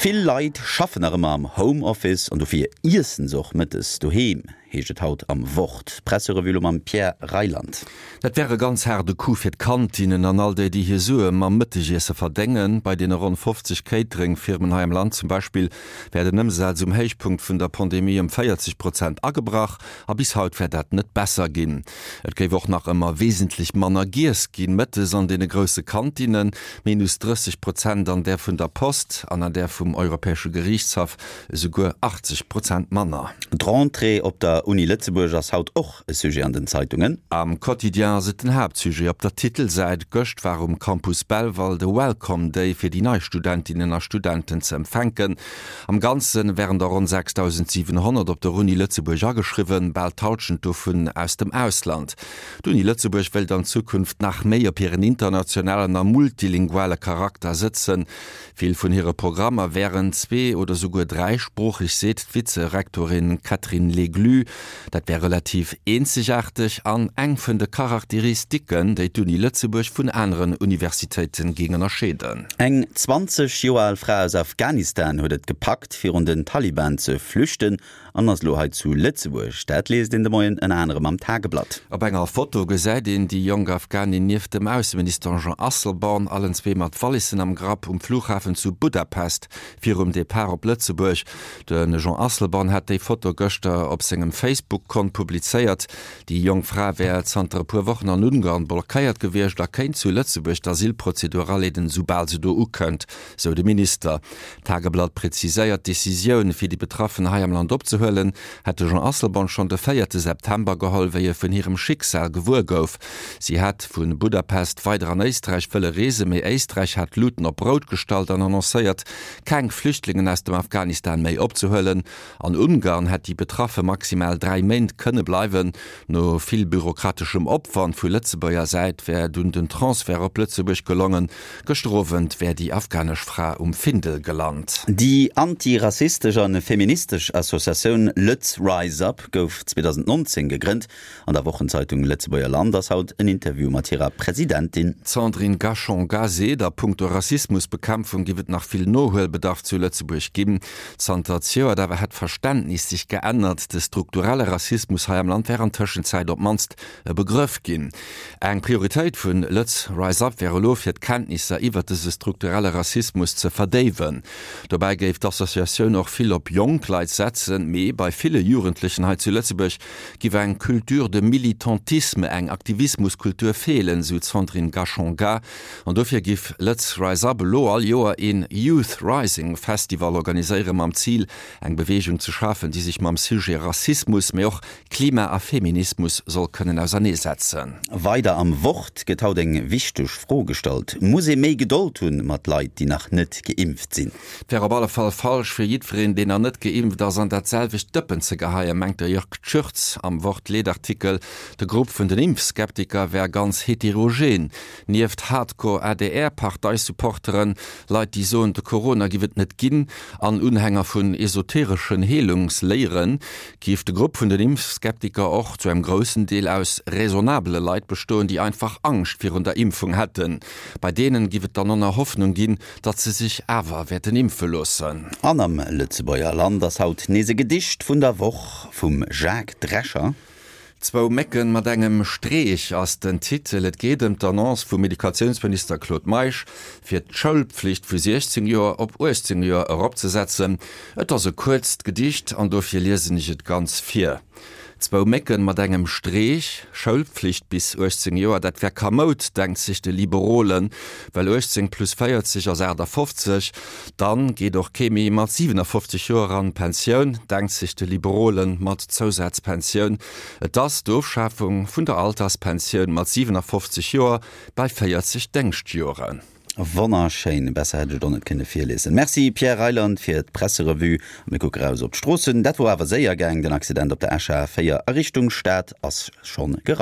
Vill Leit schaffen nach ëmmer am Homeoffice an dofir iessen se och mëttes doheem, heescht et haut am Wort. D'Presserevue lo mam Pierre Reyland. Dat wär e ganz haarde Coup fir d'Kantinnen an all déi, déi hir Sue mam Mëttegiesse verdéngen. Bei deene ronn 50 Catering-Firmen hei am Land zum Beispill wär den Ëmsaz um Héichpunkt vun der Pandemie ëm 40 Prozent agebrach a bis haut wär dat net besser ginn. Et géif och nach ëmmer wesentlech manner giess ginn, mëttes an deene grousse Kantinnen, minus 30 Prozent an där vun der Post an an där vum Europäesche Geriichtshaff esouguer 80 Prozent manner. D'Rentrée op der Uni Lëtzebuerg ass haut och e Sujet an den Zeitungen. Am Quotidien ass et den Haaptsujet op der Titelsäit. Gëscht war um Campus Belval de Welcome Day fir déi nei Studentinnen a Studenten ze empfänken. Am Ganze wären der ronn 6.700 op der Uni Lëtzebuerg ageschriwwen, bal d'Hallschent dovun aus dem Ausland. D'Uni Lëtzebuerg wéilt an Zukunft nach méi op hiren internationalen a multilinguale Charakter sëtzen. Vill vun hire Programmer wären zwee oder souguer dräisproocheg, seet d'Vize-Rektorin Catherine Leglu. Dat wär relativ eenzegaarteg an eng vun de Charakteristiken, déi d'Uni Lëtzebuerg vun aneren Universitéite géing ënnerscheeden. Eng 20 Joer al Fra aus Afghanistan huet et gepackt, virun den Taliban ze flüchten an ass elo hei zu Lëtzebuerg. Dat liest een de Moien ënner anerem am Tageblatt. Op enger Foto gesäit een déi jonk Afghanin nieft dem Ausseminister Jean Asselborn, allen zwee mat Wallissen am Grapp, um Flughafen zu Budapest virum Depart op Lëtzebuerg. De Jean Asselborn hat déi Foto gëschter op sengem Facebook-Kont publizéiert. Déi jonk Fra wär zanter e puer Wochen an Ungarn blockéiert gewiescht a kéint zu Lëtzebuerg d'Asylprozedur aleeden, soubal se do ukënnt, sou de Minister. D'Tageblatt präziséiert, D'Decisioun, fir déi Betraffen hei am Land opzehuelen, hätt de Jean Asselborn schonn de véierte September geholl, wéi e vun hirem Schicksal gewuer gouf. Si hätt vu Budapest weider an Éisträich wëlle reesen, mee Éisträich hat d'Luten op rout gestallt an annoncéiert, keng Flüchtlingen aus dem Afghanistan méi opzehuelen. An Ungarn hätt déi Betraffe maximal 3 Méint kënne bleiwen. No vill bürokrateschem Opwand vu Lëtzebuerger Säit wär dunn den Transfert op Lëtzebuerg gelongen. Gëschter Owend wär déi afghanesch Fra um Findel gelant. Déi anti-rassistesch a feministesch Associatioun Lëtz Rise Up gouf 2019 gegrënnt. An der Wochenzeitung Lëtzebuerger Land ass haut en Interview mat hirer Presidentin. D'Sandrine Gachon-Gay seet, a punkto Rassismusbekämpfung giff et nach vill Nohuelbedarf zu Lëtzebuerg ginn. Zanter zejoert awer hätt d'Verständnis sech geännert, de strukturelle Rassismus hei am Land wär an Tëschenzäit op d'mannst e Begrëff ginn. Eng Prioritéit vun Lëtz Rise Up wär elo, fir d'Kenntnisser iwwert dëse strukturelle Rassismus ze verdéiwen. Dobäi géif d'Associatioun och vill op jonk Leit setzen, mee bei ville Jugendlechen hei zu Lëtzebuerg Giff eng Culture de militantisme, eng Aktivismuskultur feelen, sou d'Sandrine Gachon-Gay. An dofir giff Lëtz Rise Up elo all Joer een Youth Rising Festival organiséieren, mam Zil eng Beweegung ze schafen, déi sech mam Sujet Rassismus, mee och Klima a Feminismus soll kënnen auserneesetzen. Weider am Wort gëtt haut eng wichteg Fro gestallt, Muss ee méi Gedold hunn mat Leit, déi nach net geimpft sinn? Et wär op alle Fall falsch, fir jiddwereen, deen nach net geimpft ass, an dat selwecht Dëppen ze geheien, mengt de Jörg Tschürtz am Wort-Leedartikel. De Grupp vun den Impfskeptiker wär ganz heterogen. Nieft Hardcore-ADR-Parteisupporteren, Leit, déi soen, de Corona giff et net ginn, an Unhänger vun esotereschen Heelungsléieren, giff de Grupp vun den Impfskeptiker och zu engem groussen Deel aus raisonnabele Leit bestoen, déi einfach Angscht virun der Impfung hätten. Bei deenen giff et dann och nach Hoffnung ginn, Datt se sech awer wäerten impfe loossen. An am Lëtzebuerger Land ass haut nees e Gedicht vun der Woch vum Jacques Drescher. Zwou Mécken mat engem Streech ass den Titel. Et geet ëm d'Annonce vum Educatiounsminister Claude Meisch, fir d'Schoulpflicht vu 16 Joer op 18 Joer eropzesetzen. Et ass e kuerzt Gedicht an dofir liesen ech et ganz vir. Zwou Mécken mat engem Streech, Schoulpflicht bis 18 Joer, dat wär kamoud, denkt sech de Liberolen, well 18 plus 40 ass 58, dann geet och kee méi mat 57 Joer an d'Pensioun, denkt sech de Liberolen mat Zousazpensioun. Et ass d'Ofschafung vun der Alterspensioun mat 57 Joer bei 40 Déngschtjoren. Wonnerschéin, besser hätt ech et och net kënne virliesen. Merci Pierre Reyland fir d'Presserevue. A mir kucke raus op d'Stroossen. Dat wor awer séier gaang, den Accident op der Escher A 4 a Richtung Stad ass schonn geraumt.